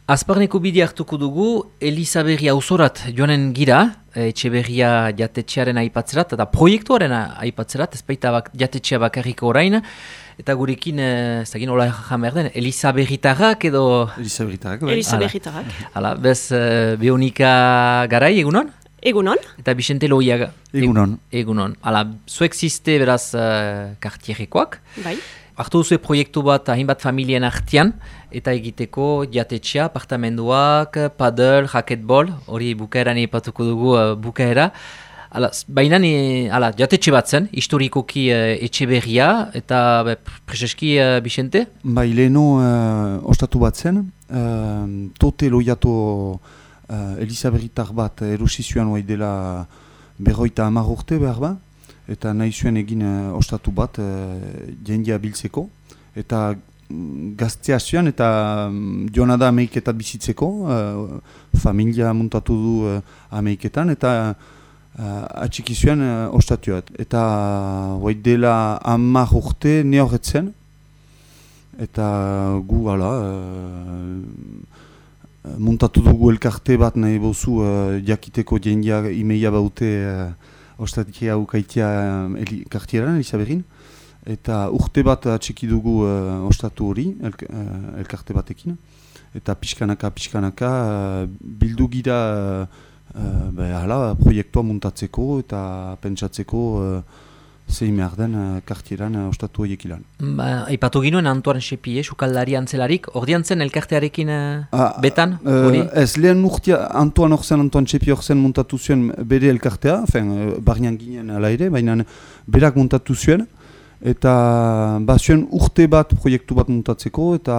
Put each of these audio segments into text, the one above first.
Azparneko bidea hartuko dugu, Elisaberri auzorat joanen gira, Etxeberria jatetxearen aipatzerat, eta proiektuaren aipatzerat, ez baita jatetxea bakarriko orain, eta gurekin, ez da gin, hola jamer den, Elisaberritarrak edo... Elisaberritarrak, bai. Elisaberritarrak. Hala, bez, Beonika Garai, egunon? Egunon. Eta Bixente Loiaga. Egunon. Egunon. Hala, zuek ziste beraz kartierrekoak. Bai. Hartu duzu proiektu bat hainbat familien artean, eta egiteko jatetxea, apartamenduak, paddle, racquetball, hori bukaeran ipatuko dugu bukaera. Baina jatetxe bat zen, historikoki Etxeberria, eta preseski Bixente? Bai, leheno ostatu bat zen, tote loiato Elisaberritar bat erosizioan oai dela 50 urte behar ba, eta nahi zuen egin ostatu bat jendea biltzeko, eta gaztea zuen eta joan da Ameriketan bizitzeko, familia muntatu du Ameriketan, eta atxiki zuen ostatuat. Eta hoi dela 10 urte ne horretzen, eta gu muntatu dugu elkarte bat nahi bozu jakiteko jendea imeia baute ostatikea ukaitia kartieran, Elisaberrin. Eta urte bat atxiki dugu ostatu hori, elkarte batekin. Eta pixkanaka bildu gira proiektua muntatzeko eta pentsatzeko zein behar den kartieran ostatu horiek ilan. Aipatu ginoen Antoine Xepie, sukaldari antzelarik, ordean zen elkartearekin betan? Ez, lehen urtea Antoine Xepie horzen muntatu zuen bere elkartea, barnean ginen ala ere, baina berak muntatu zuen, eta zuen urte bat proiektu bat muntatzeko eta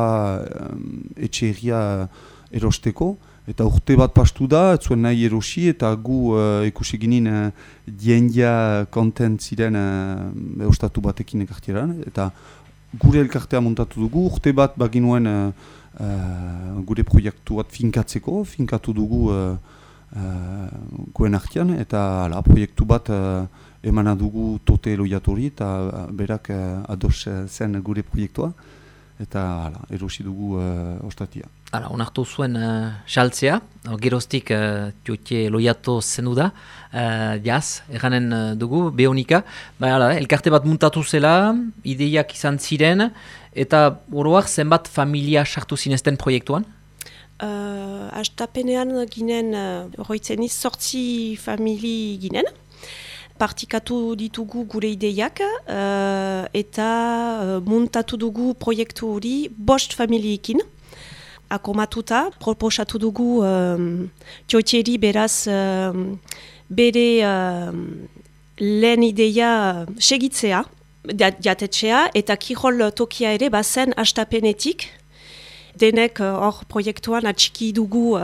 etxeria erosteko. Eta urte bat pastu da, ez zuen nahi erosi, eta gu ikusi ginen diendia kontent ziren ostatu batekin ekartieran. Eta gure elkartea montatu dugu, urte bat baginuen gure proiektu bat finkatu dugu goen artean, eta proiektu bat emana dugu tote loiatori, eta berak ados zen gure proiektua. Eta erosi dugu ostatia. Onartu zuen saltzea, geroztik tiotie loiato zenu da, jaz, erranen dugu, Beonika. Elkarte bat muntatu zela, ideiak izan ziren, eta oroak zenbat familia sartu zinezten proiektuan? Astapenean ginen, horretzen 8 famili ginen. Partikatu ditugu gure ideiak eta muntatu dugu proiektu hori 5 familiekin. Akomatuta, proposatu dugu txotxeri beraz bere lehen ideia segitzea, jatetxea, eta kirol tokia ere bazen astapenetik. Denek hor proiektuan atxiki dugu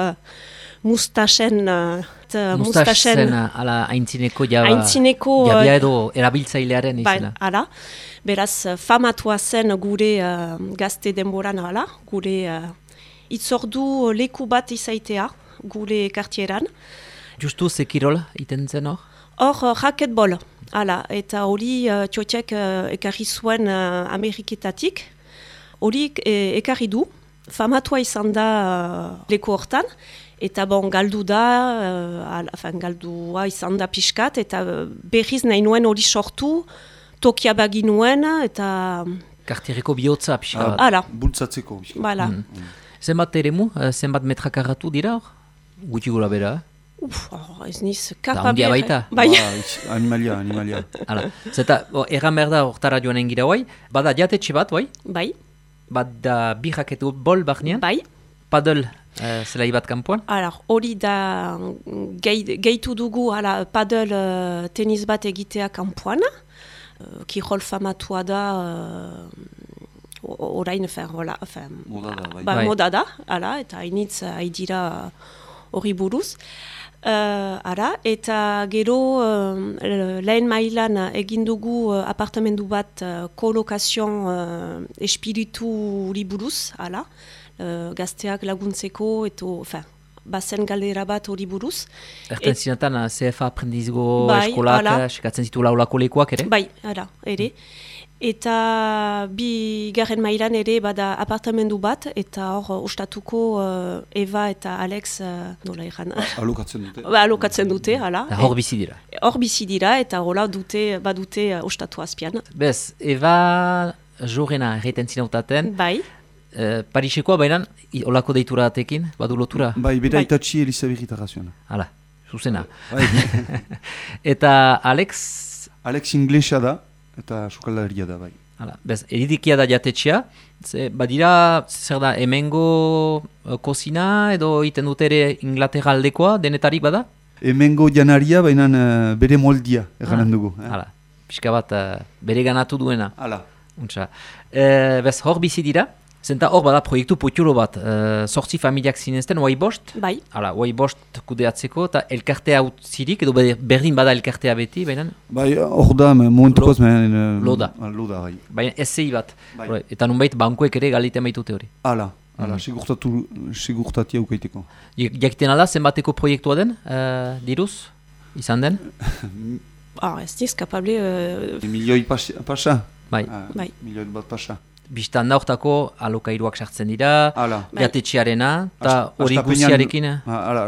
mustasen ala aintzineko jabia edo erabiltzailearen izela. Hala, beraz famatua zen gure gazte denboran hala, gure itzordu leku bat izaitea gure kartieran. Justu ze kirol iten zen hor? Hor racquetball, hala, eta hori txotxek ekarri zuen Ameriketatik, hori ekarri du, famatua izan da leku hortan, eta galdu da, galdua izan da pixkat, eta berriz nahi nuen hori sortu, tokia baginuen, eta... Kartierreko bihotza pixka bat. Hala. Bultzatzeko. Bala. Zenbat eremu, zenbat metrakarratu dira hor? Guti gula bera, ez niz kapa da, ondia baita. Bai. Animalia. Hala. Zeta, erran behar da hortara joanen gira bai, bada jatetxe bat, bai? Bai. Bada bi raketu bol barnean? Bai. Paddle zelai bat kanpoan? Hori da gehitu dugu paddle tenis bat egitea kanpoan. Kirol famatua da orain moda da, eta hainitz haidira hori buruz. Eta gero lehen mailan egin dugu apartamendu bat kolokazion espiritu hori buruz, gazteak laguntzeko, bazen galdera bat hori buruz. Erten zinatan, CFA aprendizgo Bai, eskolak, hala. sekatzen zitu laulako lekuak ere? Bai, ere. Eta bigarren mailan ere bada apartamendu bat, eta hor ostatuko Eva eta Alex nola egan. Alokatzen dute. Alokatzen dute, hala. Hor bizi dira. Hor bizi dira, eta hola badute ostatu azpian. Bez, Eva jorena erreiten zinautaten, Bai. Parisekoa baina olako deitura atekin, badu lotura? Bai, bera Bai. itatxi Elizabeth zuen. Hala, zuzena. Bai. Eta Alex, Alex inglesa da, eta sukaldaria da, bai. hala, bez, eridikia da jatetxea, badira, zer da, hemengo kozina edo iten dute ere Inglaterra aldekoa, denetarik bada? Hemengo janaria, baina bere moldia, eganen dugu. Hala, pixka bat bere ganatu duena. Hala. Untsa. Bez, hor bizi dira, zenta hor bada proiektu potxuro bat, 8 familiak zinezten, oai bost? Bai. Hala, oai bost kudeatzeko, eta elkartea utzirik, edo berdin bada elkartea beti, baina Bai, hor da, momentukoz, Loda. Loda, bai. baina ezei bat. Bai. Eta nunbait bankuek ere galite maitute hori. Hala, sigurtatia ukaiteko. Jakiten alda, zenbateko proiektua den, diruz, izan den? Ez niz kapable... Milioi pasa? Bai. Bai. Milioi bat pasa. Biztan da hortako alokairuak sartzen dira, Hala. jatetxearena, eta hori Astapenean- guziarekin. Hala,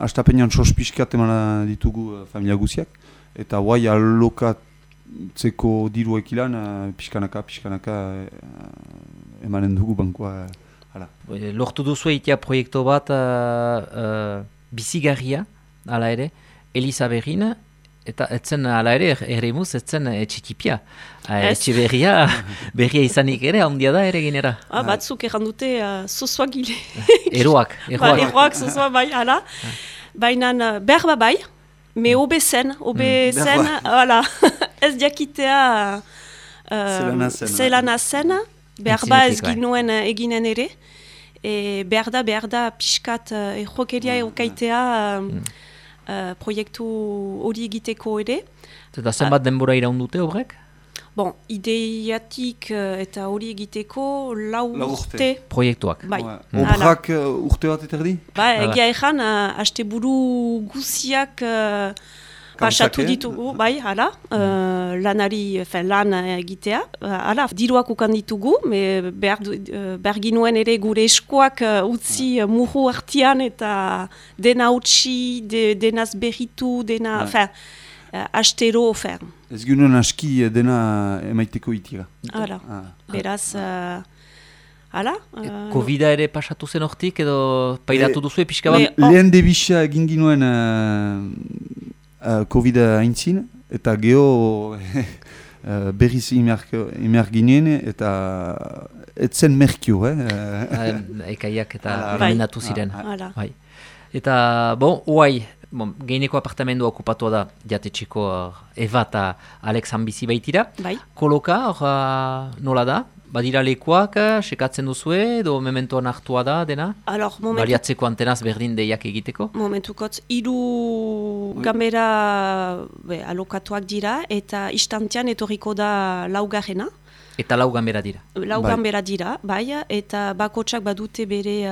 astapenean sospizkat emana ditugu familia guziak, eta guai alokatzeko diruek ilan, pixkanaka emanen dugu bankoa. Hala. Lortu duzu eitea proiektu bat bizigarria, hala ere, Eliza Berrin, eta etzen hala ere, erremuz, etzen etxikipia. Etxe berria izanik ere, handia da ere ginera. Batzuk erran dute zuzua gile. Eroak. Eroak zuzua bai, hala. Baina berba bai, me obe zen, hala. Ez diakitea zelana zen, berba ez ginuen eginen ere. Behar da pixkat errokeria eukaitea proiektu hori egiteko ere. Eta zenbat denbora iraun dute horrek? Bon, ideiatik eta hori egiteko lau urte. Proiektuak. Bai. Obrak urte bat eterdi? Egia ezan, asteburu guziak pasatu ditugu, bai, hala, lan egitea, hala, diruak ukan ditugu, behar ginuen ere gure eskoak utzi murru artian eta dena utzi, denaz berritu, dena, astero, Ez ginen aski dena emaiteko itira. Hala, beraz, hala. Covid-a ere pasatu zen hortik edo pairatu duzu pixka bat? Lehen debisa egin ginuen Covid-a haintzin, eta geho berriz imer ginen, eta etzen merkio, Ekaiak eta remendatu ziren. Bai. Eta, oai, geineko apartamendua okupatua da jatetxeko Eva eta Alex bizi baitira. Bai. Koloka, nola da? Badira lekuak, sekatzen duzue, edo mementoan hartua da, dena? Baliatzeko antenaz berdin deiak egiteko? Momentukotz, 3 gambera alokatuak dira, eta istantean etorriko da laugarrena. Eta 4 gambera dira? 4 gambera dira, bai, eta bakotsak badute bere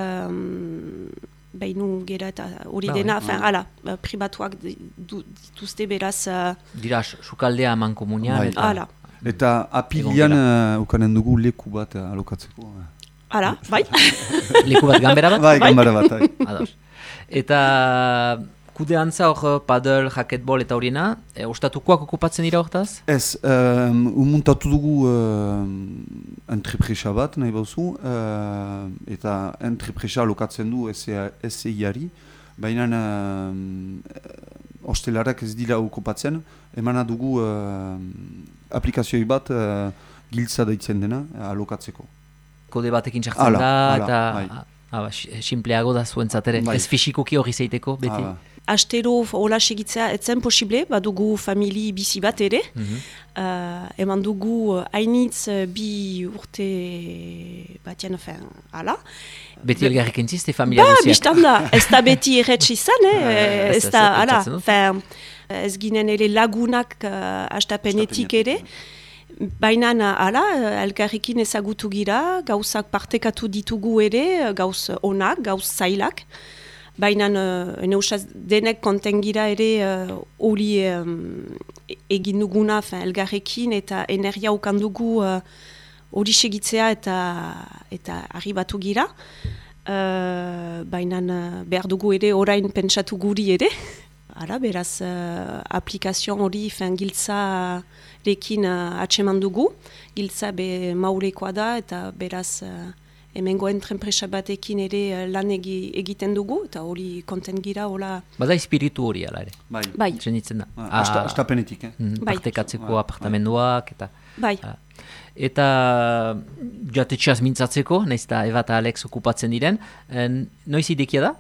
beinu gera eta hori dena, hala, pribatuak dituzte beraz... Dira, sukaldea eman komunian, hala. Eta apilian ukanen dugu leku bat alokatzeko. Hala, bai. Leku bat gambera bat? Bai, gambera bat. Ados. Eta kudeantza hor paddle, racquetball eta horiena, ostatukoak okupatzen dira hortaz? Ez, umuntatu dugu entrepresa bat, nahi bauzu, eta entrepresa alokatzen du SEI-ari, baina hostelarak ez dira okupatzen, emana dugu aplikazioi bat giltza deitzen dena alokatzeko. Kode batekin sartzen da, eta simpleago da zuentzatere, ez fisikoki hori zeiteko, beti? Astero hola segitzea etzen posible, badugu famili bizi bat ere, eman dugu hainitz 2 urte batean, hala. Beti elgarrik entzizte familia guziak? Bistan da, ez da beti erretz izan, ez da, hala, ez ginen ere lagunak astapenetik ere, baina hala, elkarrekin ezagutu gira, gauzak partekatu ditugu ere, gauz onak, gauz zailak, baina neusaz denek kontengira ere hori egin duguna elgarrekin eta energia ukan dugu hori segitzea eta arribatu gira. Baina behar dugu ere orain pentsatu guri ere. Beraz, aplikazio hori giltza rekin atseman dugu. Giltza be maurekoa da eta beraz hemengo entrepresa batekin ere lan egiten dugu eta hori konten gira. Bada espiritu hori ala ere. Bai. Zenitzen da. Astapenetik. Partekatzeko apartamenduak eta... Bai. Eta jatetxeaz mintzatzeko, nahiz eta Eva eta Alex okupatzen diren, noiz idekia da?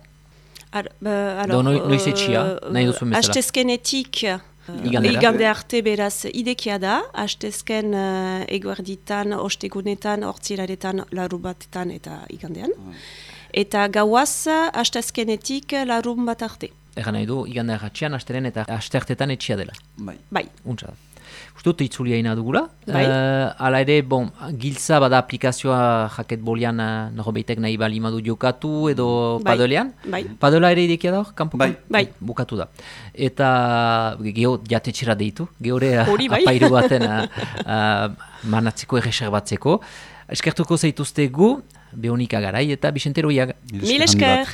Noiz etxia, nahi duzu bezala? Hastezkenetik igande arte beraz idekia da, hastezken eguerditan, ostegunetan, hortziraretan, larubatetan eta igandean. Eta gauaz, hastezkenetik larun bat arte. Egan nahi du, igande arratxean, hasteren eta hastertetan etxia dela. Bai. Untsa da. Ustut itzulia ina dugula. Bai. Hala ere, giltza bada aplikazioa jaket bolian norbeitek nahi bali madu jokatu edo padelean. Bai. Padela ere idekia da hor, kanpokan? Bai. Bukatu da. Eta geho jatetxera deitu, gehore bai. apairu baten manatzeko erreserbatzeko. Eskertuko zaituztegu, Beonika Garai eta Bixente Roiaga. Mil esker!